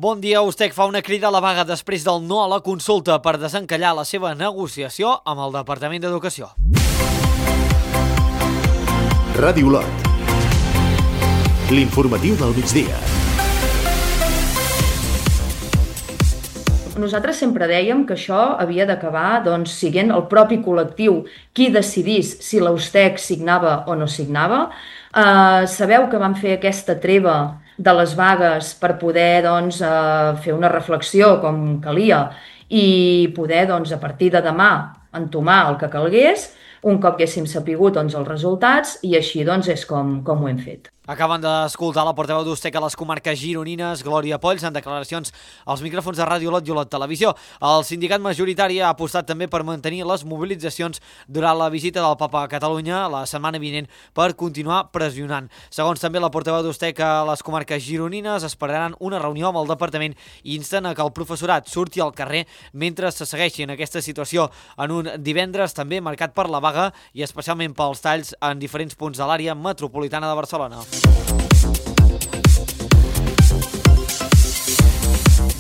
Bon dia. USTEC fa una crida a la vaga després del no a la consulta per desencallar la seva negociació amb el Departament d'Educació. Ràdio Olot. L'informatiu del migdia. Nosaltres sempre dèiem que això havia d'acabar sent el propi col·lectiu qui decidís si la USTEC signava o no signava. Sabeu que vam fer aquesta treva de les vagues per poder fer una reflexió com calia i poder a partir de demà entomar el que calgués un cop haguéssim sapigut els resultats i així és com ho hem fet. Acaben d'escoltar la portaveu d'USTEC a les comarques gironines, Glòria Polls, en declaracions als micròfons de Ràdio Olot i Olot Televisió. El sindicat majoritari ha apostat també per mantenir les mobilitzacions durant la visita del Papa a Catalunya la setmana vinent per continuar pressionant. Segons també la portaveu d'USTEC a les comarques gironines, esperaran una reunió amb el departament i insten a que el professorat surti al carrer mentre se segueixi en aquesta situació en un divendres també marcat per la vaga i especialment pels talls en diferents punts de l'àrea metropolitana de Barcelona.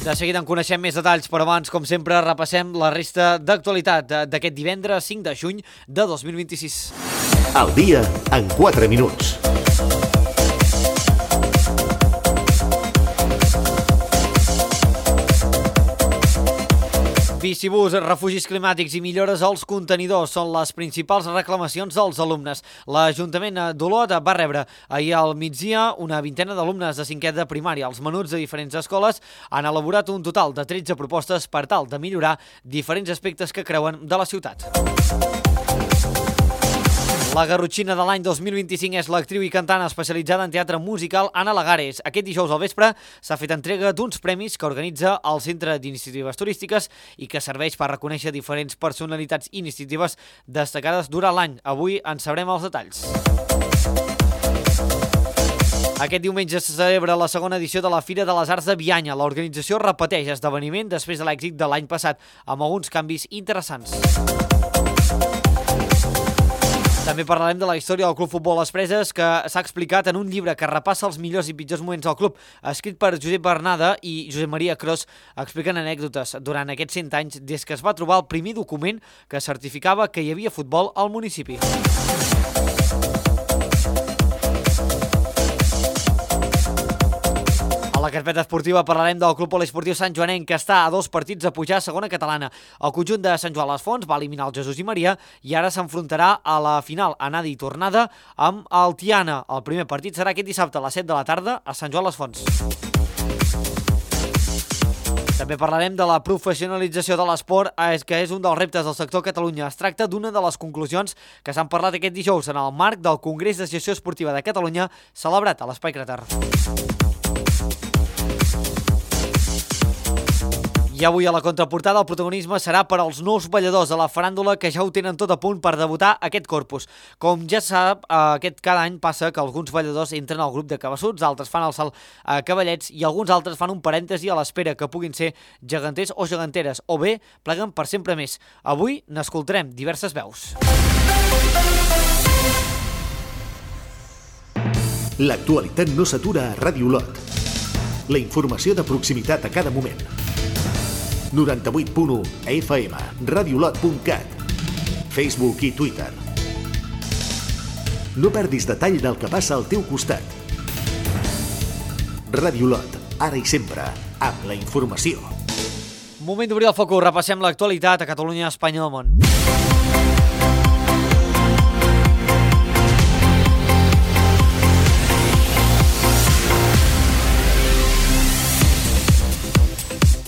De seguida en coneixem més detalls, però abans, com sempre, repassem la resta d'actualitat d'aquest divendres 5 de juny de 2026. Al dia en 4 minuts. Bicibús, refugis climàtics i millores als contenidors són les principals reclamacions dels alumnes. L'Ajuntament d'Olot va rebre ahir al migdia una vintena d'alumnes de 5è de primària. Els menuts de diferents escoles han elaborat un total de 13 propostes per tal de millorar diferents aspectes que creuen de la ciutat. La garrotxina de l'any 2025 és l'actriu i cantant especialitzada en teatre musical Anna Lagares. Aquest dijous al vespre s'ha fet entrega d'uns premis que organitza el Centre d'Iniciatives Turístiques i que serveix per reconèixer diferents personalitats i iniciatives destacades durant l'any. Avui en sabrem els detalls. Aquest diumenge se celebra la segona edició de la Fira de les Arts de Bianya. L'organització repeteix esdeveniment després de l'èxit de l'any passat, amb alguns canvis interessants. També parlarem de la història del Club Futbol Les Preses, que s'ha explicat en un llibre que repassa els millors i pitjors moments del club, escrit per Josep Bernada i Josep Maria Cros, expliquen anècdotes durant aquests 100 anys des que es va trobar el primer document que certificava que hi havia futbol al municipi. A la carpeta esportiva parlarem del Club Poliesportiu Sant Joanenc, que està a 2 partits de pujar a segona catalana. El conjunt de Sant Joan les Fonts va eliminar el Jesús i Maria i ara s'enfrontarà a la final anada i tornada amb el Tiana. El primer partit serà aquest dissabte a les 7 de la tarda a Sant Joan les Fonts. També parlarem de la professionalització de l'esport, que és un dels reptes del sector a Catalunya. Es tracta d'una de les conclusions que s'han parlat aquest dijous en el marc del Congrés de Gestió Esportiva de Catalunya celebrat a l'Espai Cràter. I avui a la contraportada el protagonisme serà per als nous balladors de la faràndula que ja ho tenen tot a punt per debutar aquest corpus. Com ja sap, cada any passa que alguns balladors entren al grup de cabassuts, altres fan el salt a cavallets i alguns altres fan un parèntesi a l'espera que puguin ser geganters o geganteres, o bé pleguen per sempre més. Avui n'escoltarem diverses veus. L'actualitat no s'atura a Ràdio Olot. La informació de proximitat a cada moment. 98.1 FM, radiolot.cat, Facebook i Twitter. No perdis detall del que passa al teu costat. Ràdio Olot, ara i sempre, amb la informació. Moment d'obrir el focus, repassem l'actualitat a Catalunya, Espanya i el món.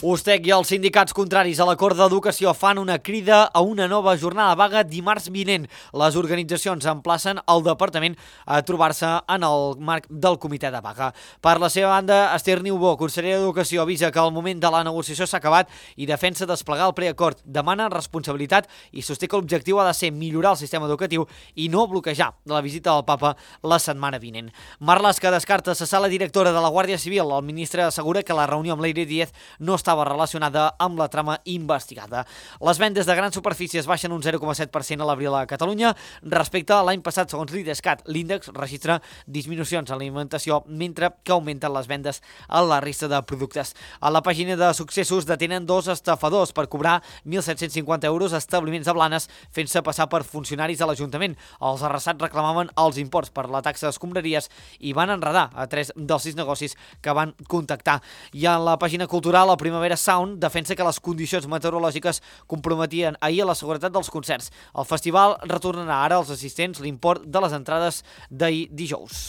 USTEC i els sindicats contraris a l'acord d'educació fan una crida a una nova jornada de vaga dimarts vinent. Les organitzacions emplacen el departament a trobar-se en el marc del comitè de vaga. Per la seva banda, Esther Niubó, consellera d'Educació, avisa que el moment de la negociació s'ha acabat i defensa desplegar el preacord. Demana responsabilitat i sosté que l'objectiu ha de ser millorar el sistema educatiu i no bloquejar la visita del papa la setmana vinent. Marlaska descarta cessar la directora de la Guàrdia Civil. El ministre assegura que la reunió amb l'Eire Díez no estava estava relacionada amb la trama investigada. Les vendes de grans superfícies baixen un 0,7% a l'abril a Catalunya respecte a l'any passat, segons l'IDESCAT. L'índex registra disminucions en l'alimentació, mentre que augmenten les vendes a la resta de productes. A la pàgina de successos detenen 2 estafadors per cobrar 1.750 euros a establiments de Blanes fent-se passar per funcionaris de l'Ajuntament. Els arrasats reclamaven els imports per la taxa d'escombraries i van enredar a 3 dels 6 negocis que van contactar. I a la pàgina cultural, la Primavera Sound defensa que les condicions meteorològiques comprometien ahir a la seguretat dels concerts. El festival retornarà ara als assistents l'import de les entrades d'ahir dijous.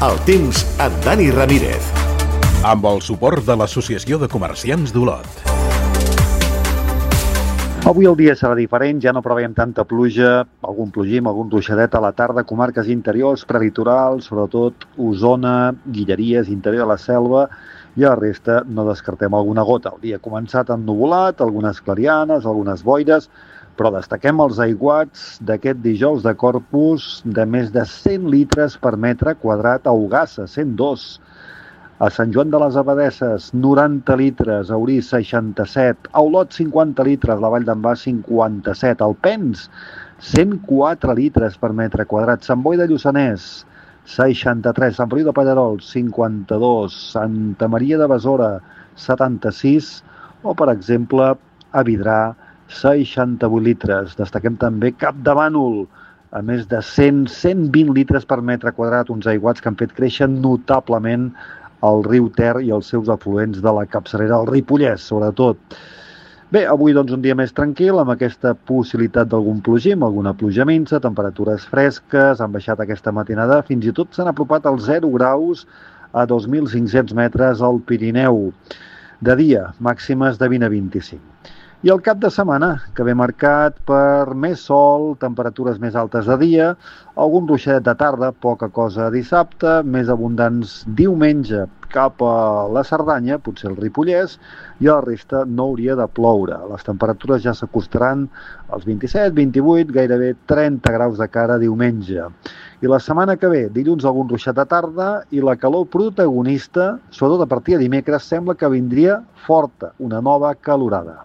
El temps amb Dani Ramírez. Amb el suport de l'Associació de Comerciants d'Olot. Avui el dia serà diferent, ja no preveiem tanta pluja, algun plogim, algun ruixadet a la tarda, comarques interiors, prelitorals, sobretot Osona, Guilleries, interior de la Selva, i a la resta no descartem alguna gota. El dia ha començat ennuvolat, algunes clarianes, algunes boires, però destaquem els aiguats d'aquest dijous de Corpus de més de 100 litres per metre quadrat a Ogassa, 102. A Sant Joan de les Abadesses, 90 litres, a Orís, 67, a Olot, 50 litres, la Vall d'en Bas, 57, al Pens, 104 litres per metre quadrat, Sant Boi de Lluçanès, 63, Sant Feliu de Pallerols, 52, Santa Maria de Besora, 76, o, per exemple, a Vidrà, 68 litres. Destaquem també Capdavànol, a més de 100-120 litres per metre quadrat, uns aiguats que han fet créixer notablement el riu Ter i els seus afluents de la capçalera, el Ripollès, sobretot. Bé, avui doncs un dia més tranquil, amb aquesta possibilitat d'algun plogim, alguna pluja minsa, temperatures fresques, han baixat aquesta matinada, fins i tot s'han apropat als 0 graus a 2.500 metres al Pirineu. De dia, màximes de 20 a 25. I el cap de setmana, que ve marcat per més sol, temperatures més altes de dia, algun ruixadet de tarda, poca cosa dissabte, més abundants diumenge cap a la Cerdanya, potser el Ripollès, i a la resta no hauria de ploure. Les temperatures ja s'acostaran als 27, 28, gairebé 30 graus de cara diumenge. I la setmana que ve, dilluns algun ruixat de tarda i la calor protagonista, sobretot a partir de dimecres, sembla que vindria forta, una nova calorada.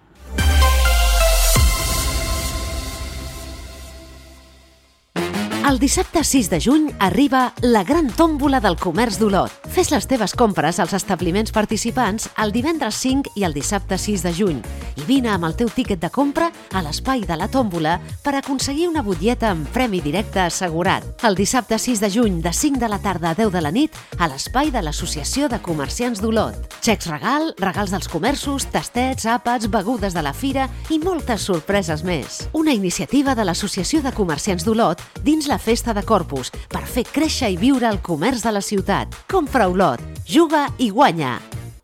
El dissabte 6 de juny arriba la gran tòmbola del comerç d'Olot. Fes les teves compres als establiments participants el divendres 5 i el dissabte 6 de juny i vine amb el teu tíquet de compra a l'espai de la tòmbola per aconseguir una butlleta amb premi directe assegurat. El dissabte 6 de juny de 5 de la tarda a 10 de la nit a l'espai de l'Associació de Comerciants d'Olot. Xecs regal, regals dels comerços, tastets, àpats, begudes de la fira i moltes sorpreses més. Una iniciativa de l'Associació de Comerciants d'Olot dins la Festa de Corpus per fer créixer i viure el comerç de la ciutat. Compra a Olot, juga i guanya.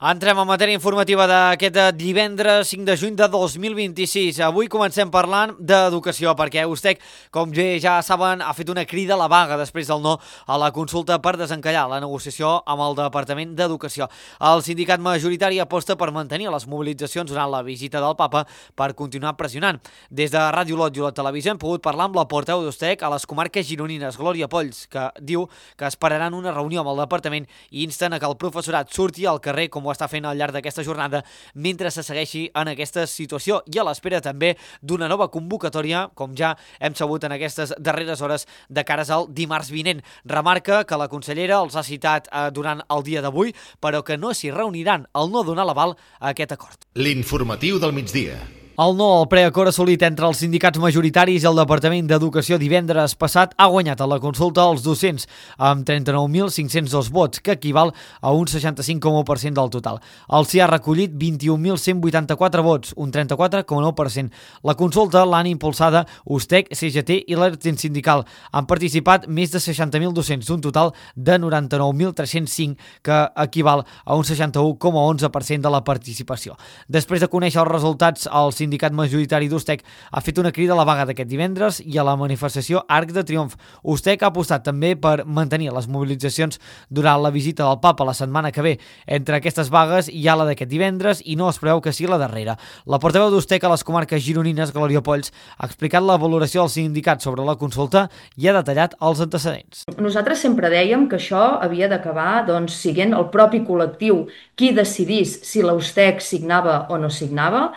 Entrem en matèria informativa d'aquest divendres 5 de juny de 2026. Avui comencem parlant d'educació, perquè USTEC, com ja saben, ha fet una crida a la vaga després del no a la consulta per desencallar la negociació amb el Departament d'Educació. El sindicat majoritari aposta per mantenir les mobilitzacions durant la visita del papa per continuar pressionant. Des de Ràdio Olot i Olot Televisió hem pogut parlar amb la portaveu d'USTEC a les comarques gironines, Glòria Polls, que diu que esperaran una reunió amb el departament i insten a que el professorat surti al carrer com ho està fent al llarg d'aquesta jornada mentre se segueixi en aquesta situació i a l'espera també d'una nova convocatòria, com ja hem sabut en aquestes darreres hores, de cares al dimarts vinent. Remarca que la consellera els ha citat durant el dia d'avui, però que no s'hi reuniran al no donar l'aval a aquest acord. L'informatiu del migdia. El no al preacord assolit entre els sindicats majoritaris i el Departament d'Educació divendres passat ha guanyat a la consulta als docents amb 39.502 vots, que equival a un 65,1% del total. El sí ha recollit 21.184 vots, un 34,9%. La consulta l'han impulsada USTEC, CGT i l'Ertin Sindical. Han participat més de 60.000 docents, d'un total de 99.305, que equival a un 61,11% de la participació. Després de conèixer els resultats, els sindicat majoritari d'Ustec ha fet una crida a la vaga d'aquest divendres i a la manifestació Arc de Triomf. Ustec ha apostat també per mantenir les mobilitzacions durant la visita del papa la setmana que ve. Entre aquestes vagues hi ha la d'aquest divendres i no es preveu que sigui la darrera. La portaveu d'Ustec a les comarques gironines, Glòria Polls, ha explicat la valoració del sindicat sobre la consulta i ha detallat els antecedents. Nosaltres sempre dèiem que això havia d'acabar sent el propi col·lectiu qui decidís si l'Ustec signava o no signava.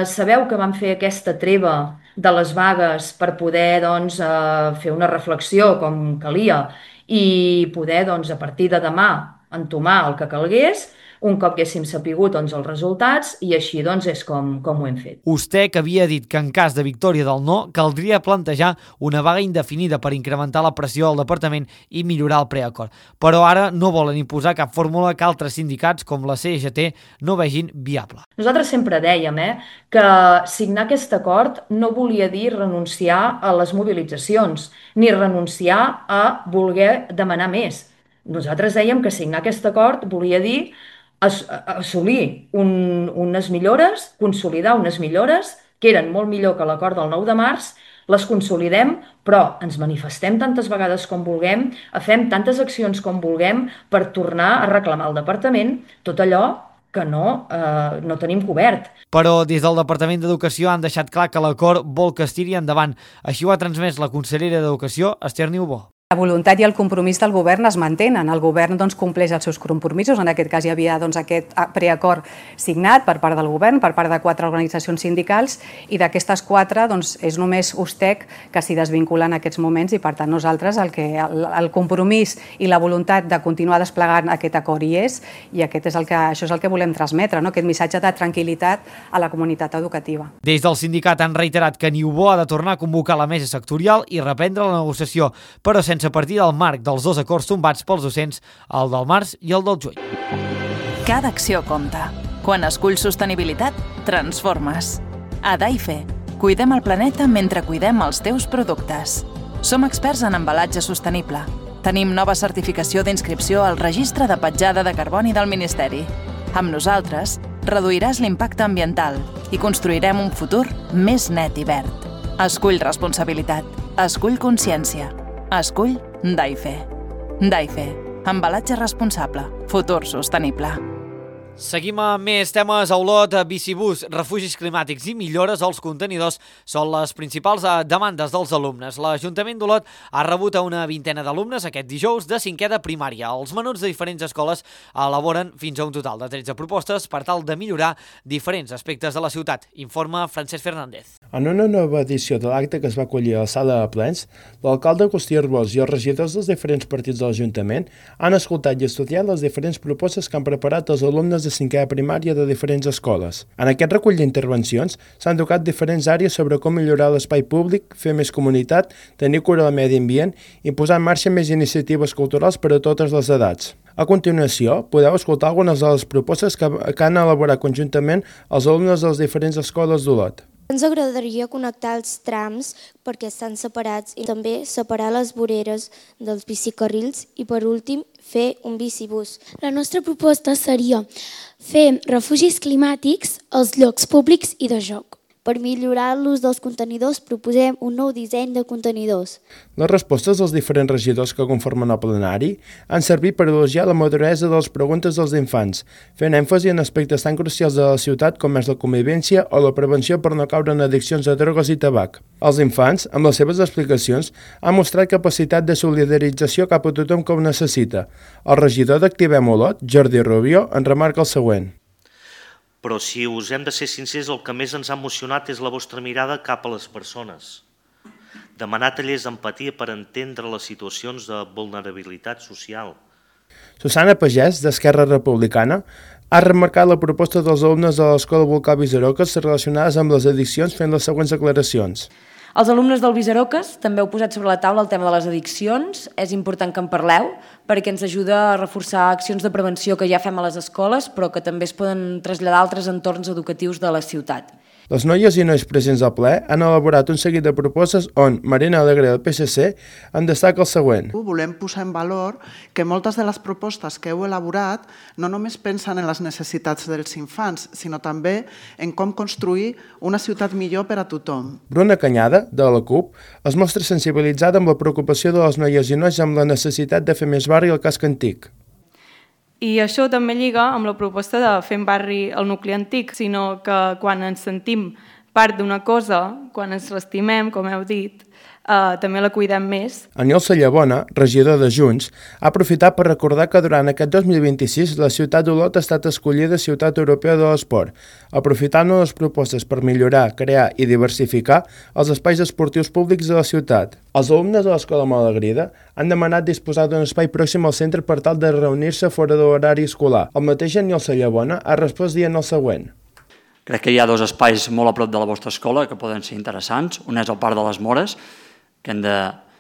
Sabeu que vam fer aquesta treva de les vagues per poder fer una reflexió com calia i poder a partir de demà entomar el que calgués un cop haguéssim sapigut els resultats i així és com ho hem fet. Ustec havia dit que en cas de victòria del no caldria plantejar una vaga indefinida per incrementar la pressió al departament i millorar el preacord. Però ara no volen imposar cap fórmula que altres sindicats com la CGT no vegin viable. Nosaltres sempre dèiem que signar aquest acord no volia dir renunciar a les mobilitzacions ni renunciar a voler demanar més. Nosaltres dèiem que signar aquest acord volia dir assolir unes millores, consolidar unes millores que eren molt millor que l'acord del 9 de març, les consolidem, però ens manifestem tantes vegades com vulguem, fem tantes accions com vulguem per tornar a reclamar al departament tot allò que no tenim cobert. Però des del Departament d'Educació han deixat clar que l'acord vol que es tiri endavant. Així ho ha transmès la consellera d'Educació, Esther Niubó. La voluntat i el compromís del govern es mantenen. El govern compleix els seus compromisos. En aquest cas hi havia aquest preacord signat per part del govern, per part de 4 organitzacions sindicals, i d'aquestes 4 és només Ustec que s'hi desvincula en aquests moments i per tant nosaltres el compromís i la voluntat de continuar desplegant aquest acord hi és i això és el que volem transmetre, aquest missatge de tranquil·litat a la comunitat educativa. Des del sindicat han reiterat que Niubó ha de tornar a convocar la mesa sectorial i reprendre la negociació, però sense partir del marc dels 2 acords tombats pels docents, el del març i el del juny. Cada acció compta. Quan esculls sostenibilitat, transformes. A Daife, cuidem el planeta mentre cuidem els teus productes. Som experts en embalatge sostenible. Tenim nova certificació d'inscripció al Registre de Petjada de Carboni del Ministeri. Amb nosaltres, reduiràs l'impacte ambiental i construirem un futur més net i verd. Escull responsabilitat. Escull consciència. Escull Daife. Daife. Embalatge responsable. Futur sostenible. Seguim amb més temes a Olot. Bicibús, refugis climàtics i millores als contenidors són les principals demandes dels alumnes. L'Ajuntament d'Olot ha rebut a una vintena d'alumnes aquest dijous de 5è de primària. Els menuts de diferents escoles elaboren fins a un total de 13 propostes per tal de millorar diferents aspectes de la ciutat. Informa Francesc Fernández. En una nova edició de l'acte que es va acollir a la sala de plens, l'alcalde Agustí Arbós i els regidors dels diferents partits de l'Ajuntament han escoltat i estudiat les diferents propostes que han preparat els alumnes de 5è de primària de diferents escoles. En aquest recull d'intervencions s'han tocat diferents àrees sobre com millorar l'espai públic, fer més comunitat, tenir cura del medi ambient i posar en marxa més iniciatives culturals per a totes les edats. A continuació, podeu escoltar algunes de les propostes que han elaborat conjuntament els alumnes de les diferents escoles d'Olot. Ens agradaria connectar els trams perquè estan separats i també separar les voreres dels bicicarrils i, per últim, fer un bicibús. La nostra proposta seria fer refugis climàtics als llocs públics i de joc. Per millorar l'ús dels contenidors, proposem un nou disseny de contenidors. Les respostes dels diferents regidors que conformen el plenari han servit per elogiar la maduresa de les preguntes dels infants, fent èmfasi en aspectes tan crucials de la ciutat com és la convivència o la prevenció per no caure en addiccions a drogues i tabac. Els infants, amb les seves explicacions, han mostrat capacitat de solidarització cap a tothom que ho necessita. El regidor d'Activem Olot, Jordi Rubio, en remarca el següent. Però si us hem de ser sincers, el que més ens ha emocionat és la vostra mirada cap a les persones. Demanar tallers d'empatia per entendre les situacions de vulnerabilitat social. Susana Pagès, d'Esquerra Republicana, ha remarcat la proposta dels alumnes de l'Escola Volcà Visaroques relacionades amb les addiccions fent les següents declaracions. Els alumnes del Visaroques també heu posat sobre la taula el tema de les addiccions. És important que en parleu perquè ens ajuda a reforçar accions de prevenció que ja fem a les escoles però que també es poden traslladar a altres entorns educatius de la ciutat. Les noies i nois presents al ple han elaborat un seguit de propostes on Marina Alegre del PSC en destaca el següent. Volem posar en valor que moltes de les propostes que heu elaborat no només pensen en les necessitats dels infants, sinó també en com construir una ciutat millor per a tothom. Bruna Canyada, de la CUP, es mostra sensibilitzada amb la preocupació de les noies i nois amb la necessitat de fer més barri al casc antic. I això també lliga amb la proposta de fer en barri el nucli antic, sinó que quan ens sentim part d'una cosa, quan ens l'estimem, com heu dit, també la cuidem més. Aniol Sallabona, regidor de Junts, ha aprofitat per recordar que durant aquest 2026 la ciutat d'Olot ha estat escollida Ciutat Europea de l'Esport, aprofitant les propostes per millorar, crear i diversificar els espais esportius públics de la ciutat. Els alumnes de l'Escola Malagrida han demanat disposar d'un espai pròxim al centre per tal de reunir-se fora de l'horari escolar. El mateix Aniol Sallabona ha respost dient el següent. Crec que hi ha dos espais molt a prop de la vostra escola que poden ser interessants. Un és el Parc de les Mores, que hem de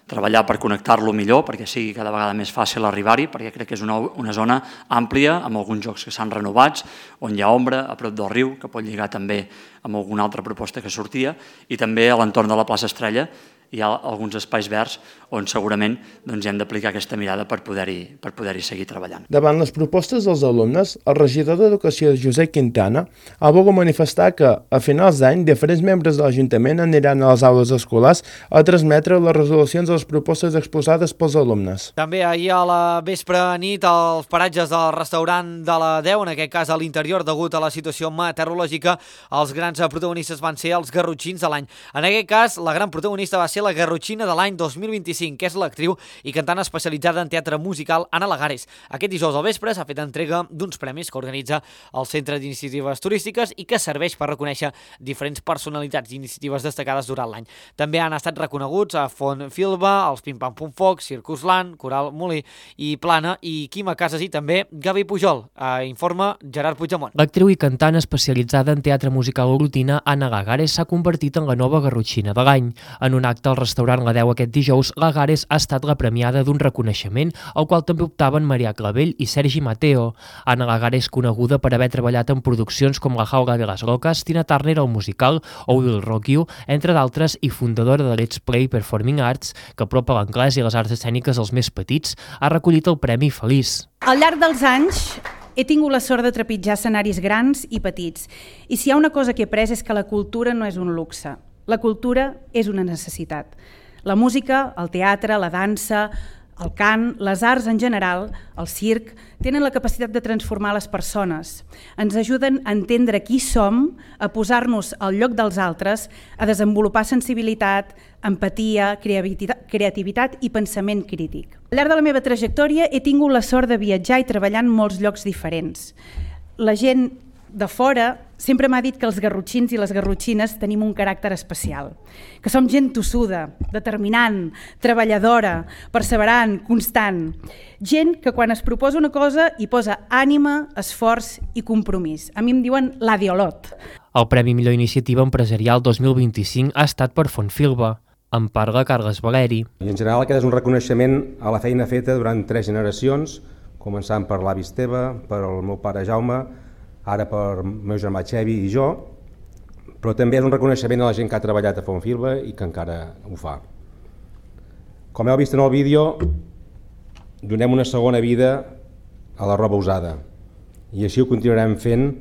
treballar per connectar-lo millor perquè sigui cada vegada més fàcil arribar-hi, perquè crec que és una zona àmplia amb alguns jocs que s'han renovats, on hi ha ombra, a prop del riu, que pot lligar també amb alguna altra proposta que sortia, i també a l'entorn de la plaça Estrella hi ha alguns espais verds on segurament hem d'aplicar aquesta mirada per poder-hi seguir treballant. Davant les propostes dels alumnes, el regidor d'Educació Josep Quintana ha volgut manifestar que, a finals d'any, diferents membres de l'Ajuntament aniran a les aules escolars a transmetre les resolucions de les propostes exposades pels alumnes. També ahir a la vespre nit als paratges del restaurant de la 10, en aquest cas a l'interior, degut a la situació meteorològica, els grans protagonistes van ser els garrotxins de l'any. En aquest cas, la gran protagonista va ser la garrotxina de l'any 2025, que és l'actriu i cantant especialitzada en teatre musical Ana Lagares. Aquest dijous al vespre s'ha fet entrega d'uns premis que organitza el Centre d'Iniciatives Turístiques i que serveix per reconèixer diferents personalitats i iniciatives destacades durant l'any. També han estat reconeguts a Font Filba, els Pim Pam Pum Foc, Circus Land, Coral Molí i Plana i Quima Casas i també Gavi Pujol, informa Gerard Puigdemont. L'actriu i cantant especialitzada en teatre musical orotina Ana Lagares s'ha convertit en la nova garrotxina de l'any. En un acte al restaurant La 10 aquest dijous, Lagares ha estat la premiada d'un reconeixement al qual també optaven Marià Clavell i Sergi Mateo. Ana Lagares, coneguda per haver treballat en produccions com La Jaula de las Locas, Tina Turner el musical o Will Rock You, entre d'altres, i fundadora de Let's Play Performing Arts, que apropa l'anglès i les arts escèniques als més petits, ha recollit el Premi Feliç. Al llarg dels anys he tingut la sort de trepitjar escenaris grans i petits, i si hi ha una cosa que he après és que la cultura no és un luxe. La cultura és una necessitat. La música, el teatre, la dansa, el cant, les arts en general, el circ, tenen la capacitat de transformar les persones. Ens ajuden a entendre qui som, a posar-nos al lloc dels altres, a desenvolupar sensibilitat, empatia, creativitat i pensament crític. Al llarg de la meva trajectòria he tingut la sort de viatjar i treballar en molts llocs diferents. La gent de fora sempre m'ha dit que els garrotxins i les garrotxines tenim un caràcter especial, que som gent tossuda, determinant, treballadora, perseverant, constant. Gent que quan es proposa una cosa hi posa ànima, esforç i compromís. A mi em diuen la d'Olot. El Premi Millor Iniciativa Empresarial 2025 ha estat per Font Filba. En parla Carles Valeri. I en general aquest és un reconeixement a la feina feta durant 3 generacions, començant per l'avi Esteve, per el meu pare Jaume, ara per meu germà Xevi i jo, però també és un reconeixement a la gent que ha treballat a Font Filba i que encara ho fa. Com heu vist en el vídeo, donem una segona vida a la roba usada i així ho continuarem fent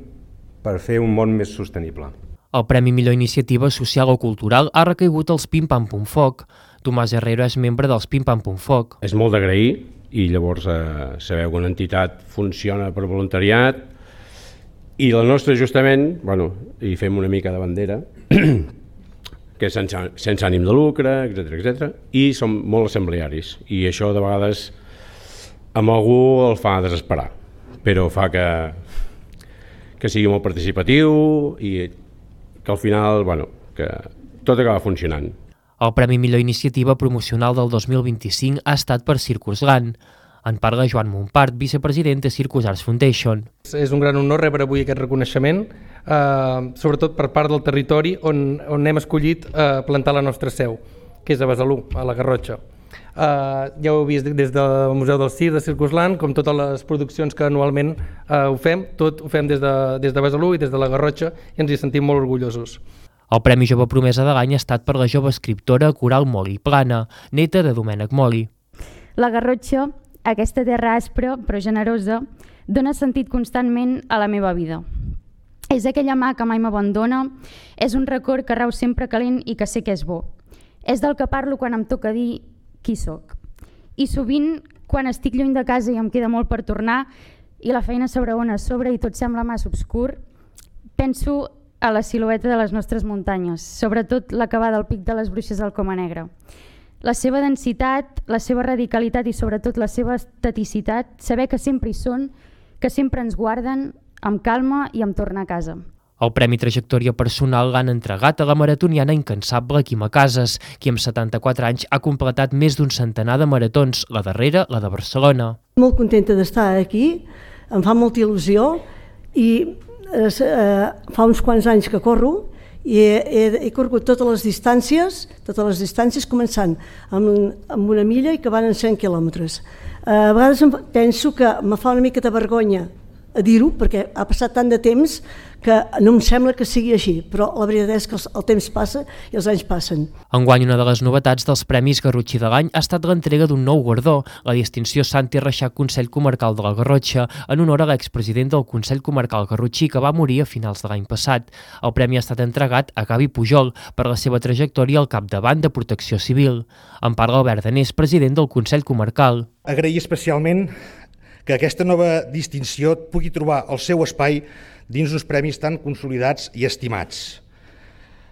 per fer un món més sostenible. El Premi Millor Iniciativa Social o Cultural ha recaigut als Pim Pam Pum Foc. Tomàs Herrero és membre dels Pim Pam Pum Foc. És molt d'agrair i llavors sabeu que una entitat funciona per voluntariat i la nostra justament, hi fem una mica de bandera, que és sense ànim de lucre, etc. I som molt assemblearis i això de vegades amb algú el fa desesperar, però fa que sigui molt participatiu i que al final que tot acaba funcionant. El Premi Millor Iniciativa Promocional del 2025 ha estat per Circus Land. En parla Joan Montpart, vicepresident de Circus Arts Foundation. És un gran honor rebre avui aquest reconeixement, sobretot per part del territori on hem escollit plantar la nostra seu, que és a Besalú, a la Garrotxa. Ja ho heu vist des del Museu del Circ de Circus Land, com totes les produccions que anualment ho fem, tot ho fem des de Besalú i des de la Garrotxa i ens hi sentim molt orgullosos. El Premi Jove Promesa de l'any ha estat per la jove escriptora Coral Moli Plana, neta de Domènec Moli. La Garrotxa, aquesta terra aspra però generosa, dona sentit constantment a la meva vida. És aquella mà que mai m'abandona, és un record que rau sempre calent i que sé que és bo. És del que parlo quan em toca dir qui sóc. I sovint, quan estic lluny de casa i em queda molt per tornar i la feina s'abraona a sobre i tot sembla massa obscur, penso a la silueta de les nostres muntanyes, sobretot la que va del pic de les Bruixes al Coma Negra. La seva densitat, la seva radicalitat i sobretot la seva estaticitat, saber que sempre hi són, que sempre ens guarden, amb calma i em tornar a casa. El Premi Trajectòria Personal l'han entregat a la maratoniana incansable Quima Casas, qui amb 74 anys ha completat més d'un centenar de maratons, la darrera, la de Barcelona. Molt contenta d'estar aquí, em fa molta il·lusió i fa uns quants anys que corro i he corregut totes les distàncies començant amb una milla i acabant en 100 quilòmetres. A vegades penso que me fa una mica de vergonya a dir-ho, perquè ha passat tant de temps que no em sembla que sigui així, però la veritat és que el temps passa i els anys passen. Enguany, una de les novetats dels Premis Garrotxí de l'any ha estat l'entrega d'un nou guardó, la distinció Santi Reixac Consell Comarcal de la Garrotxa, en honor a l'expresident del Consell Comarcal Garrotxí, que va morir a finals de l'any passat. El premi ha estat entregat a Gavi Pujol per la seva trajectòria al capdavant de Protecció Civil. En parla Albert Danés, president del Consell Comarcal. Agrair especialment que aquesta nova distinció pugui trobar el seu espai dins uns premis tan consolidats i estimats.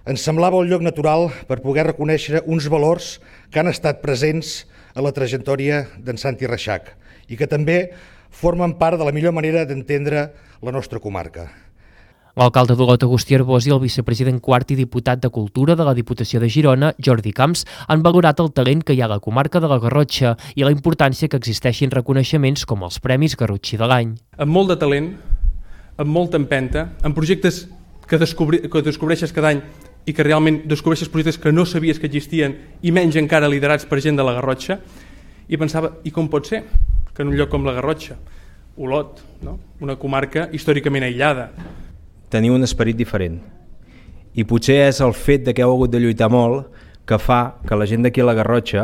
Ens semblava un lloc natural per poder reconèixer uns valors que han estat presents a la trajectòria d'en Santi Reixac i que també formen part de la millor manera d'entendre la nostra comarca. L'alcalde d'Olot, Agustí Arbós, i el vicepresident quart i diputat de Cultura de la Diputació de Girona, Jordi Camps, han valorat el talent que hi ha a la comarca de la Garrotxa i la importància que existeixin reconeixements com els Premis Garrotxí de l'any. Amb molt de talent, amb molta empenta, amb projectes que descobreixes cada any i que realment descobreixes projectes que no sabies que existien i menys encara liderats per gent de la Garrotxa, i pensava, i com pot ser que en un lloc com la Garrotxa, Olot, no? Una comarca històricament aïllada, tenir un esperit diferent. I potser és el fet de que heu hagut de lluitar molt que fa que la gent d'aquí a la Garrotxa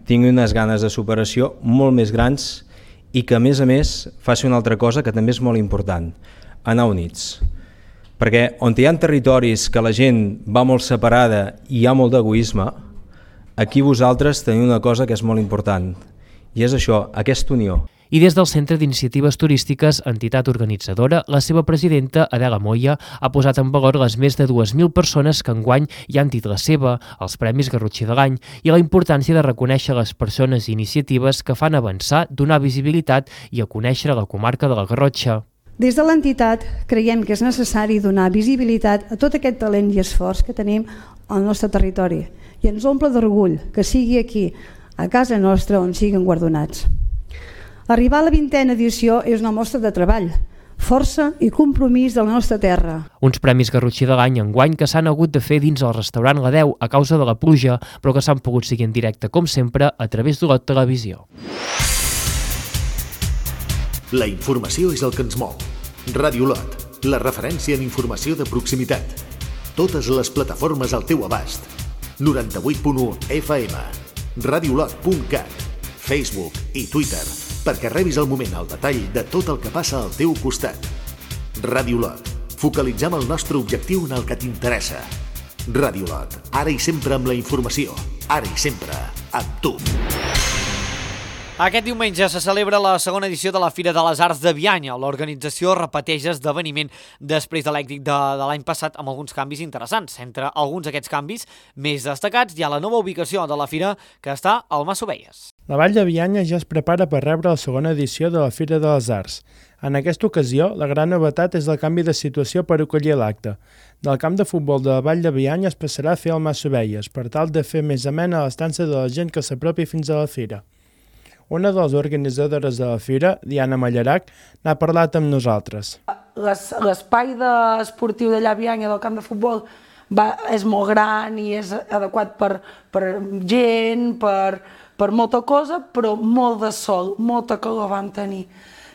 tingui unes ganes de superació molt més grans i que, a més, faci una altra cosa que també és molt important, anar units. Perquè on hi ha territoris que la gent va molt separada i hi ha molt d'egoisme, aquí vosaltres teniu una cosa que és molt important, i és això, aquesta unió. I des del Centre d'Iniciatives Turístiques, entitat organitzadora, la seva presidenta, Adela Moya, ha posat en valor les més de 2.000 persones que enguany hi han dit la seva, els Premis Garrotxí de l'any, i la importància de reconèixer les persones i iniciatives que fan avançar, donar visibilitat i a conèixer la comarca de la Garrotxa. Des de l'entitat creiem que és necessari donar visibilitat a tot aquest talent i esforç que tenim al nostre territori i ens omple d'orgull que sigui aquí, a casa nostra, on siguin guardonats. Arribar a la 20a edició és una mostra de treball, força i compromís de la nostra terra. Uns Premis Garrotxí de l'any enguany que s'han hagut de fer dins el restaurant La 10 a causa de la pluja, però que s'han pogut seguir en directe, com sempre, a través d'Olot Televisió. La informació és el que ens mou. Ràdio Olot, la referència en informació de proximitat. Totes les plataformes al teu abast. 98.1 FM, radiolot.cat, Facebook i Twitter, perquè rebis al moment el detall de tot el que passa al teu costat. Ràdio Olot. Focalitzem el nostre objectiu en el que t'interessa. Ràdio Olot. Ara i sempre amb la informació. Ara i sempre amb tu. Aquest diumenge se celebra la segona edició de la Fira de les Arts de Bianya. L'organització repeteix esdeveniment després de l'èxit de l'any passat amb alguns canvis interessants. Entre alguns d'aquests canvis més destacats hi ha la nova ubicació de la Fira que està al Mas Ovelles. La Vall de Bianya ja es prepara per rebre la segona edició de la Fira de les Arts. En aquesta ocasió, la gran novetat és el canvi de situació per acollir l'acte. Del camp de futbol de la Vall de Bianya es passarà a fer el Mas Ovelles, per tal de fer més amena l'estança de la gent que s'apropi fins a la fira. Una de les organitzadores de la fira, Diana Mallarac, n'ha parlat amb nosaltres. L'espai esportiu d'allà a Bianya, del camp de futbol, és molt gran i és adequat per gent, per molta cosa, però molt de sol, molta calor vam tenir.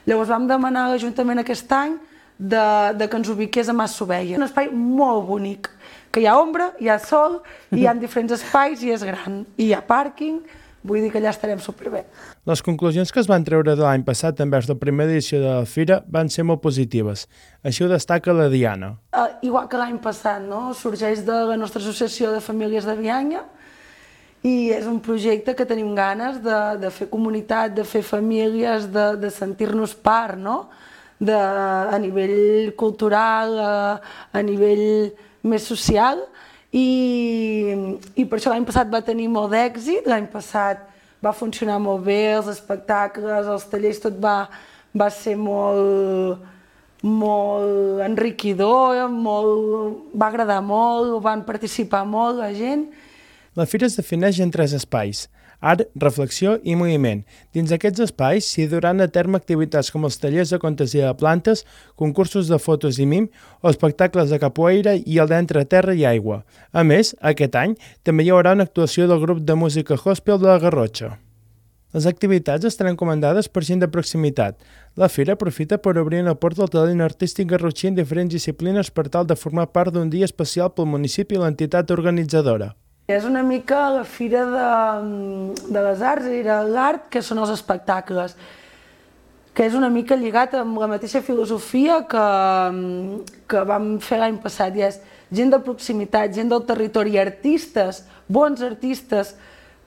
Llavors vam demanar a l'Ajuntament aquest any que ens ubiqués a Mas Ovelles. Un espai molt bonic, que hi ha ombra, hi ha sol, hi ha diferents espais i és gran. I hi ha pàrquing, vull dir que allà estarem superbé. Les conclusions que es van treure de l'any passat envers la primera edició de la Fira van ser molt positives. Així ho destaca la Diana. Igual que l'any passat, no? Sorgeix de la nostra associació de famílies de Bianya i és un projecte que tenim ganes de fer comunitat, de fer famílies, de sentir-nos part, no? A nivell cultural, a nivell més social. I per això l'any passat va tenir molt d'èxit, l'any passat va funcionar molt bé, els espectacles, els tallers, tot va ser molt enriquidor, va agradar molt, van participar molt la gent. La fira es defineix en 3 espais: art, reflexió i moviment. Dins d'aquests espais s'hi duran a terme activitats com els tallers de contesia de plantes, concursos de fotos i mim o espectacles de capoeira i el d'entre terra i aigua. A més, aquest any també hi haurà una actuació del grup de música gospel de la Garrotxa. Les activitats estaran comandades per gent de proximitat. La fira aprofita per obrir una porta al talent artístic garrotxí en diferents disciplines per tal de formar part d'un dia especial pel municipi i l'entitat organitzadora. És una mica la fira de les arts, era l'art, que són els espectacles, que és una mica lligat amb la mateixa filosofia que vam fer l'any passat, i és gent de proximitat, gent del territori, artistes, bons artistes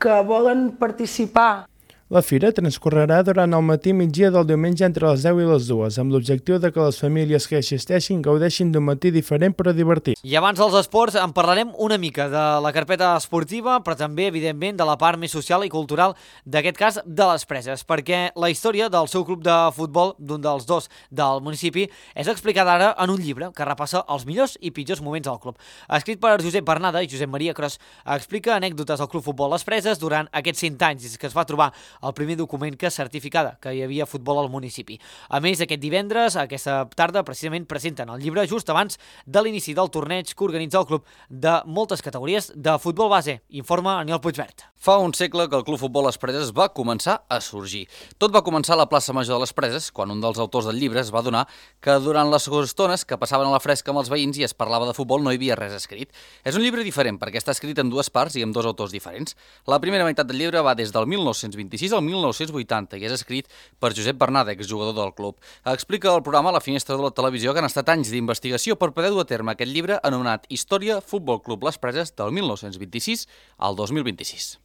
que volen participar. La fira transcorrerà durant el matí i migdia del diumenge entre les 10 i les 2, amb l'objectiu de que les famílies que assisteixin gaudeixin d'un matí diferent però divertit. I abans dels esports en parlarem una mica de la carpeta esportiva, però també, evidentment, de la part més social i cultural, d'aquest cas, de les Preses, perquè la història del seu club de futbol, d'un dels 2 del municipi, és explicada ara en un llibre que repassa els millors i pitjors moments del club. Escrit per Josep Bernada i Josep Maria Cros, explica anècdotes del Club Futbol Les Preses durant aquests 100 anys, des que es va trobar el primer document que certificava que hi havia futbol al municipi. A més, aquest divendres, aquesta tarda, precisament presenten el llibre just abans de l'inici del torneig que organitza el club de moltes categories de futbol base. Informa Aniol Puigvert. Fa un segle que el Club Futbol Les Preses va començar a sorgir. Tot va començar a la plaça Major de Les Preses, quan un dels autors del llibre es va adonar que durant les estones que passaven a la fresca amb els veïns i es parlava de futbol no hi havia res escrit. És un llibre diferent perquè està escrit en 2 parts i amb 2 autors diferents. La primera meitat del llibre va des del 1926 al 1980 i és escrit per Josep Bernada, exjugador del club. Explica al programa La Finestra de la Televisió que han estat anys d'investigació per poder dur a terme aquest llibre anomenat Història Futbol Club Les Preses del 1926 al 2026.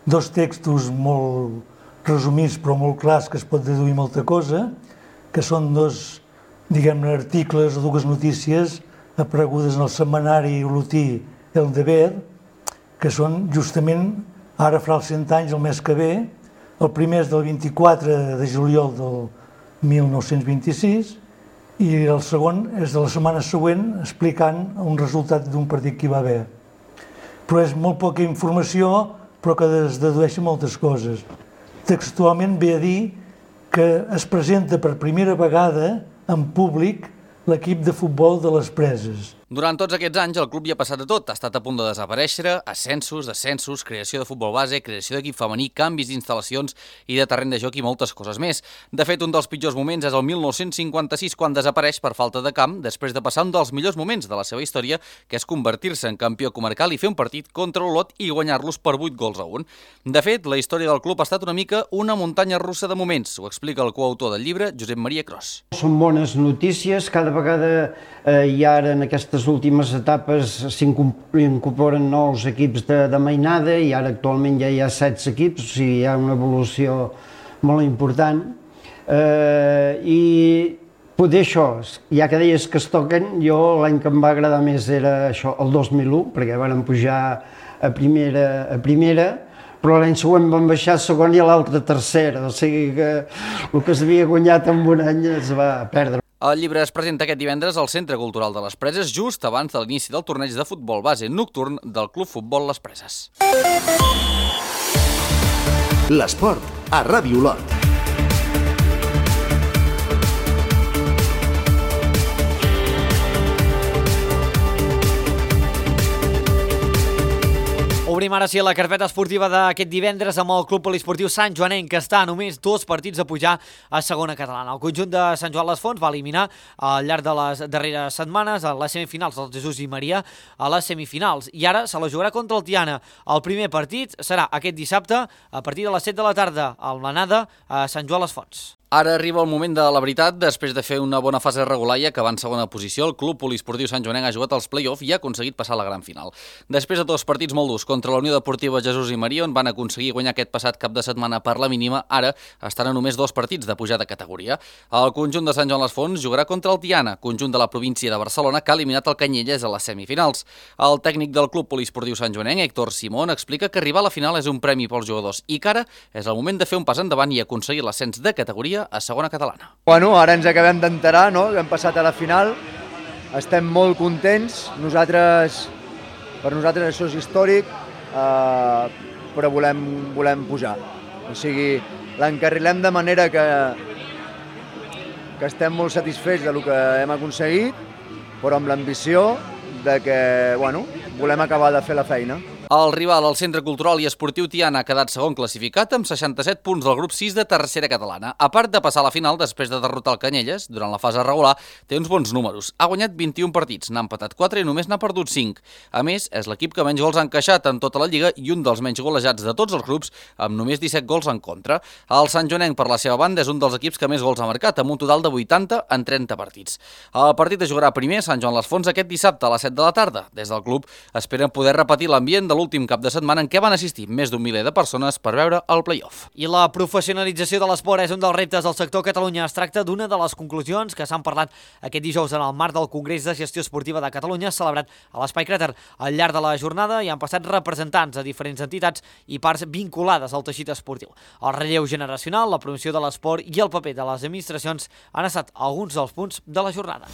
2 textos molt resumits però molt clars que es pot deduir molta cosa, que són 2, diguem-ne, articles o 2 notícies aparegudes en el setmanari olotí El Deber, que són justament, ara farà els 100 anys el mes que ve. El primer és del 24 de juliol del 1926 i el segon és de la setmana següent explicant un resultat d'un partit que hi va haver. Però és molt poca informació, però que es dedueixen moltes coses. Textualment ve a dir que es presenta per primera vegada en públic l'equip de futbol de Les Preses. Durant tots aquests anys el club hi ha passat de tot, ha estat a punt de desaparèixer, ascensos, descensos, creació de futbol base, creació d'equip femení, canvis d'instal·lacions i de terreny de joc i moltes coses més. De fet, un dels pitjors moments és el 1956, quan desapareix per falta de camp, després de passar un dels millors moments de la seva història, que és convertir-se en campió comarcal i fer un partit contra Olot i guanyar-los per 8-1. De fet, la història del club ha estat una mica una muntanya russa de moments, ho explica el coautor del llibre, Josep Maria Cros. Són bones notícies, cada vegada i ara en aquestes últimes etapes s'incorporen nous equips de mainada i ara actualment ja hi ha 16 equips, o sigui, hi ha una evolució molt important. I poder això, ja que deies que es toquen, jo l'any que em va agradar més era això, el 2001, perquè varen pujar a primera, però l'any següent van baixar a segona i a l'altra a tercera, o sigui que el que s'havia guanyat en un any es va perdre. El llibre es presenta aquest divendres al Centre Cultural de Les Preses, just abans de l'inici del torneig de futbol base nocturn del Club Futbol Les Preses. L'esport a Ràdio Olot. Obrim ara sí la carpeta esportiva d'aquest divendres amb el Club Poliesportiu Sant Joanenc, que està a només 2 partits a pujar a segona catalana. El conjunt de Sant Joan les Fonts va eliminar al llarg de les darreres setmanes a les semifinals del Jesús i Maria a les semifinals. I ara se la jugarà contra el Tiana. El primer partit serà aquest dissabte a partir de les 7 de la tarda al Blanada a Sant Joan les Fonts. Ara arriba el moment de la veritat. Després de fer una bona fase regular i acabar en segona posició, el Club Poliesportiu Sant Joanenc ha jugat als play-off i ha aconseguit passar a la gran final. Després de 2 partits molt durs contra la Unió Deportiva Jesús i Maria, on van aconseguir guanyar aquest passat cap de setmana per la mínima, ara estan a només 2 partits de pujar de categoria. El conjunt de Sant Joan les Fonts jugarà contra el Tiana, conjunt de la província de Barcelona, que ha eliminat el Canyelles a les semifinals. El tècnic del Club Poliesportiu Sant Joanenc, Héctor Simón, explica que arribar a la final és un premi pels jugadors i que ara és el moment de fer un pas endavant i aconseguir l'ascens de categoria a segona catalana. Bueno, ara ens acabem d'enterar, no?, que hem passat a la final, estem molt contents, per nosaltres això és històric, però volem pujar. O sigui, l'encarrilem de manera que estem molt satisfets del que hem aconseguit, però amb l'ambició de que, bueno, volem acabar de fer la feina. El rival, el Centre Cultural i Esportiu Tiana, ha quedat segon classificat amb 67 punts del grup 6 de tercera catalana. A part de passar a la final després de derrotar el Canyelles, durant la fase regular, té uns bons números. Ha guanyat 21 partits, n'ha empatat 4 i només n'ha perdut 5. A més, és l'equip que menys gols ha encaixat en tota la Lliga i un dels menys golejats de tots els grups, amb només 17 gols en contra. El Sant Joanenc, per la seva banda, és un dels equips que més gols ha marcat, amb un total de 80 en 30 partits. El partit es jugarà primer a Sant Joan les Fonts aquest dissabte a les 7 de la tarda. Des del club esperen poder repetir l'ambient de l'últim cap de setmana en què van assistir més d'un miler de persones per veure el play-off. I la professionalització de l'esport és un dels reptes del sector Catalunya. Es tracta d'una de les conclusions que s'han parlat aquest dijous en el marc del Congrés de Gestió Esportiva de Catalunya, celebrat a l'Espai Cràter. Al llarg de la jornada hi han passat representants de diferents entitats i parts vinculades al teixit esportiu. El relleu generacional, la promoció de l'esport i el paper de les administracions han estat alguns dels punts de la jornada.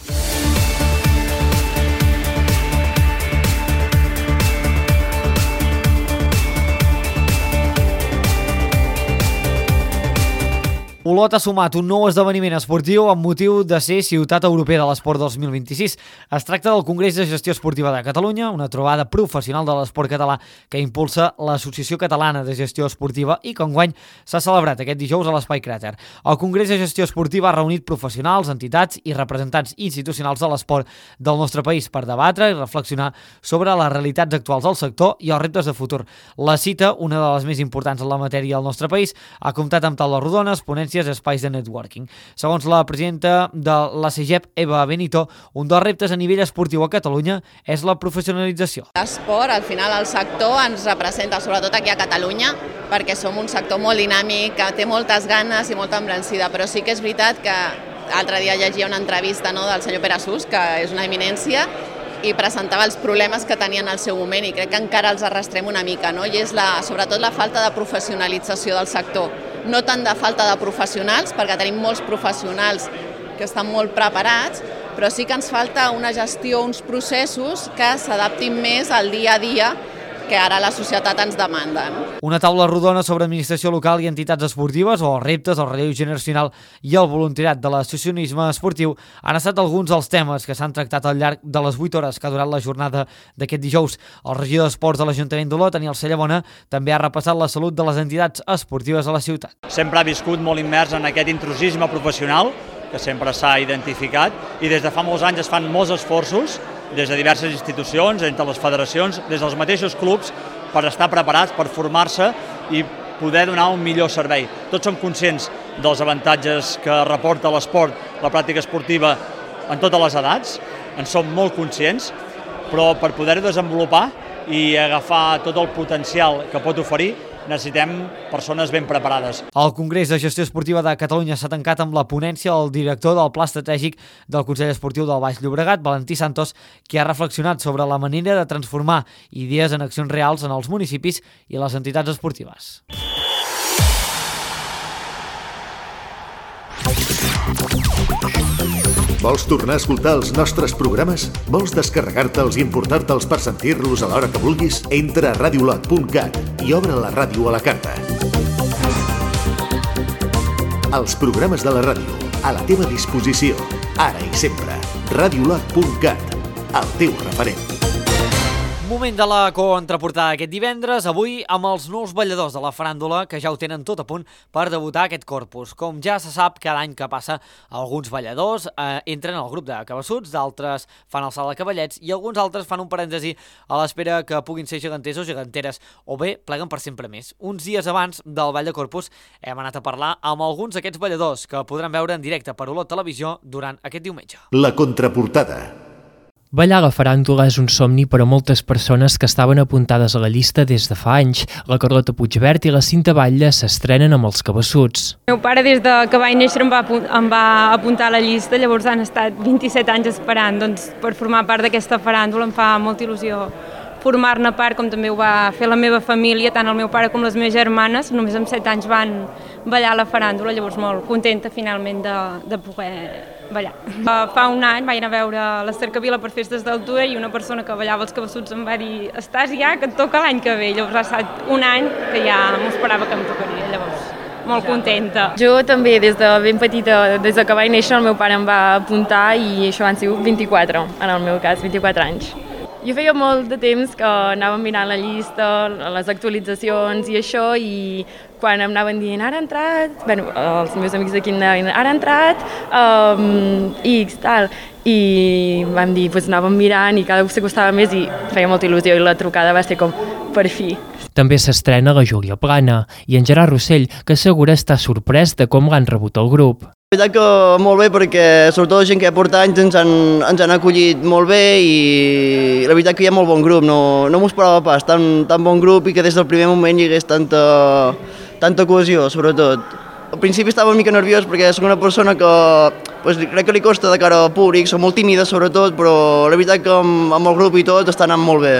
Olot ha sumat un nou esdeveniment esportiu amb motiu de ser Ciutat Europea de l'Esport 2026. Es tracta del Congrés de Gestió Esportiva de Catalunya, una trobada professional de l'esport català que impulsa l'Associació Catalana de Gestió Esportiva i que enguany s'ha celebrat aquest dijous a l'Espai Cràter. El Congrés de Gestió Esportiva ha reunit professionals, entitats i representants institucionals de l'esport del nostre país per debatre i reflexionar sobre les realitats actuals del sector i els reptes de futur. La cita, una de les més importants en la matèria del nostre país, ha comptat amb taules rodones, ponències, espais de networking. Segons la presidenta de la CEGEP, Eva Benito, un dels reptes a nivell esportiu a Catalunya és la professionalització. L'esport, al final, el sector ens representa, sobretot aquí a Catalunya, perquè som un sector molt dinàmic, que té moltes ganes i molta embranzida, però sí que és veritat que l'altre dia llegia una entrevista del senyor Pere Sus, que és una eminència, i presentava els problemes que tenien al seu moment i crec que encara els arrastrem una mica, i és sobretot la falta de professionalització del sector. No tant de falta de professionals, perquè tenim molts professionals que estan molt preparats, però sí que ens falta una gestió, uns processos que s'adaptin més al dia a dia que ara la societat ens demanda. Una taula rodona sobre administració local i entitats esportives, o els reptes, el relleu generacional i el voluntariat de l'associacionisme esportiu han estat alguns dels temes que s'han tractat al llarg de les 8 hores que ha durat la jornada d'aquest dijous. El regidor d'Esports de l'Ajuntament d'Olot, Daniel Cellabona, també ha repassat la salut de les entitats esportives a la ciutat. Sempre ha viscut molt immers en aquest intrusisme professional, que sempre s'ha identificat, i des de fa molts anys es fan molts esforços des de diverses institucions, entre les federacions, des dels mateixos clubs, per estar preparats, per formar-se i poder donar un millor servei. Tots som conscients dels avantatges que reporta l'esport, la pràctica esportiva en totes les edats, en som molt conscients, però per poder-ho desenvolupar i agafar tot el potencial que pot oferir, necessitem persones ben preparades. El Congrés de Gestió Esportiva de Catalunya s'ha tancat amb la ponència del director del Pla Estratègic del Consell Esportiu del Baix Llobregat, Valentí Santos, que ha reflexionat sobre la manera de transformar idees en accions reals en els municipis i les entitats esportives. Vols tornar a escoltar els nostres programes? Vols descarregar-te'ls i emportar-te'ls per sentir-los a l'hora que vulguis? Entra a radiolot.cat i obre la ràdio a la carta. Els programes de la ràdio, a la teva disposició, ara i sempre. radiolot.cat, el teu referent. Moment de la contraportada aquest divendres, avui amb els nous balladors de la faràndula que ja ho tenen tot a punt per debutar aquest Corpus. Com ja se sap, cada any que passa, alguns balladors entren al grup de cabassuts, d'altres fan el salt de cavallets i alguns altres fan un parèntesi a l'espera que puguin ser geganters o geganteres o bé pleguen per sempre més. Uns dies abans del Ball de Corpus hem anat a parlar amb alguns d'aquests balladors que podran veure en directe per Olot Televisió durant aquest diumenge. La contraportada. Ballar la faràndula és un somni per a moltes persones que estaven apuntades a la llista des de fa anys. La Carlota Puigvert i la Cinta Batlle s'estrenen amb els cabassuts. El meu pare des de que vaig néixer em va apuntar a la llista, llavors han estat 27 anys esperant. Doncs per formar part d'aquesta faràndula em fa molta il·lusió formar-ne part, com també ho va fer la meva família, tant el meu pare com les meves germanes. Només amb 7 anys van ballar la faràndula, llavors molt contenta finalment de poder ballar. Fa un any vaig anar a veure la Cercavila per festes d'altura i una persona que ballava els cabassuts em va dir «Estàs ja, que et toca l'any que ve». Llavors ha estat un any que ja m'ho esperava que em tocaria, llavors molt contenta. Jo també, des de ben petita, des de que vaig néixer, el meu pare em va apuntar i això van ser 24, en el meu cas, 24 anys. Jo feia molt de temps que anàvem mirant la llista, les actualitzacions i això, i quan em anaven dient ara ha entrat, bueno, els meus amics d'aquí em deien ara ha entrat, X, tal, i vam dir, doncs anàvem mirant i cada cop s'acostava més i feia molta il·lusió i la trucada va ser com per fi. També s'estrena la Júlia Plana i en Gerard Rossell, que assegura estar sorprès de com l'han rebut el grup. La veritat que molt bé, perquè sobretot la gent que porta anys ens han acollit molt bé i la veritat que hi ha molt bon grup, no m'ho esperava pas, tan bon grup i que des del primer moment hi hagués tanta cohesió, sobretot. Al principi estava una mica nerviós perquè soc una persona que crec que li costa de cara al públic, soc molt tímida sobretot, però la veritat que amb el grup i tot està anant molt bé.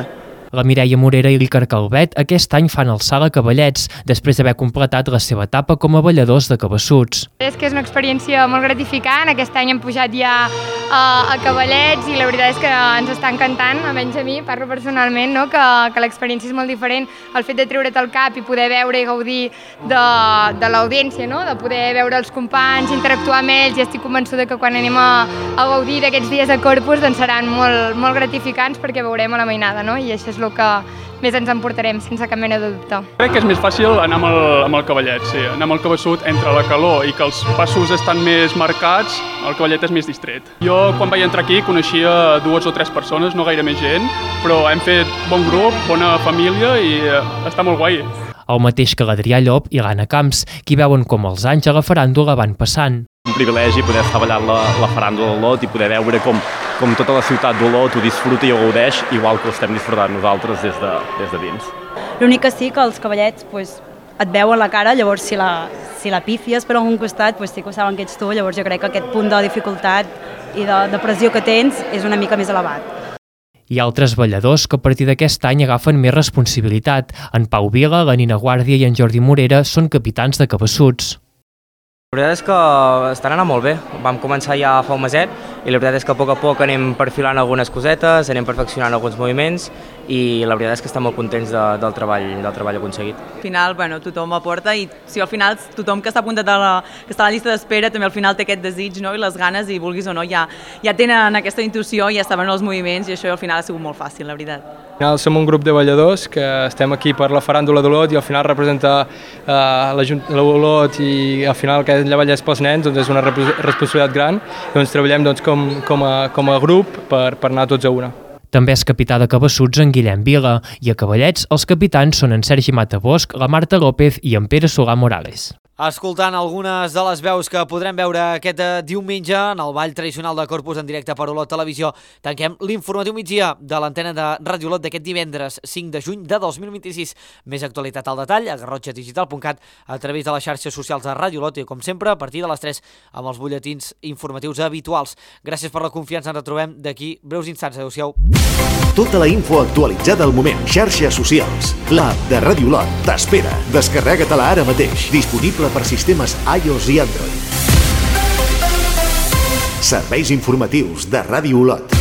La Mireia Morera i l'Iker Calvet aquest any fan el salt a cavallets, després d'haver completat la seva etapa com a balladors de cabassuts. És que és una experiència molt gratificant, aquest any hem pujat ja a cavallets i la veritat és que ens està encantant, almenys a mi, parlo personalment, no? que l'experiència és molt diferent, el fet de treure't el cap i poder veure i gaudir de l'audiència, no? De poder veure els companys, interactuar amb ells, i estic convençuda que quan anem a gaudir d'aquests dies de Corpus doncs seran molt gratificants perquè veurem a la mainada, no? I això és el que més ens emportarem, sense cap mena de dubte. Crec que és més fàcil anar amb el cavallet, sí. Anar amb el cabassut entre la calor i que els passos estan més marcats, el cavallet és més distret. Jo, quan vaig entrar aquí, coneixia 2 o 3 persones, no gaire més gent, però hem fet bon grup, bona família i està molt guai. El mateix que l'Adrià Llop i l'Anna Camps, qui veuen com els anys a la faràndula van passant. Un privilegi poder estar ballant la faràndula d'Olot i poder veure com tota la ciutat d'Olot ho disfruta i ho gaudeix, igual que ho estem disfrutant nosaltres des de dins. L'únic que sí que els cavallets et veuen la cara, llavors si la pífies per algun costat sí que ho saben que ets tu, llavors jo crec que aquest punt de dificultat i de pressió que tens és una mica més elevat. Hi ha altres balladors que a partir d'aquest any agafen més responsabilitat. En Pau Vila, la Nina Guàrdia i en Jordi Morera són capitans de cabassuts. La veritat és que estan anant molt bé. Vam començar ja fa un meset i la veritat és que a poc anem perfilant algunes cosetes, anem perfeccionant alguns moviments i la veritat és que estem molt contents del treball aconseguit. Al final, tothom aporta i si al final tothom que està apuntat que està a la llista d'espera també al final té aquest desig, no? I les ganes i vulguis o no ja tenen aquesta intuïció, ja saben els moviments i això al final ha sigut molt fàcil, la veritat. Al final som un grup de balladors que estem aquí per la faràndula d'Olot i al final representar l'Olot i al final que ella ballés pels nens doncs és una responsabilitat gran i doncs treballem com a grup per anar tots a una. També és capità de cabassuts en Guillem Vila i a cavallets els capitans són en Sergi Matabosc, la Marta López i en Pere Solà Morales. Escoltant algunes de les veus que podrem veure aquest diumenge en el ball tradicional de Corpus en directe per Olot Televisió, tanquem l'informatiu migdia de l'antena de Ràdio Olot d'aquest divendres 5 de juny de 2026. Més actualitat al detall a garrotxadigital.cat a través de les xarxes socials de Ràdio Olot i, com sempre, a partir de les 3 amb els butlletins informatius habituals. Gràcies per la confiança, ens retrobem d'aquí breus instants. Adéu-siau. Tota la info actualitzada al moment. Xarxes socials. L'app de Ràdio Olot t'espera. Descarrega-te-la ara mateix. Disponible per sistemes iOS i Android. Serveis informatius de Ràdio Olot.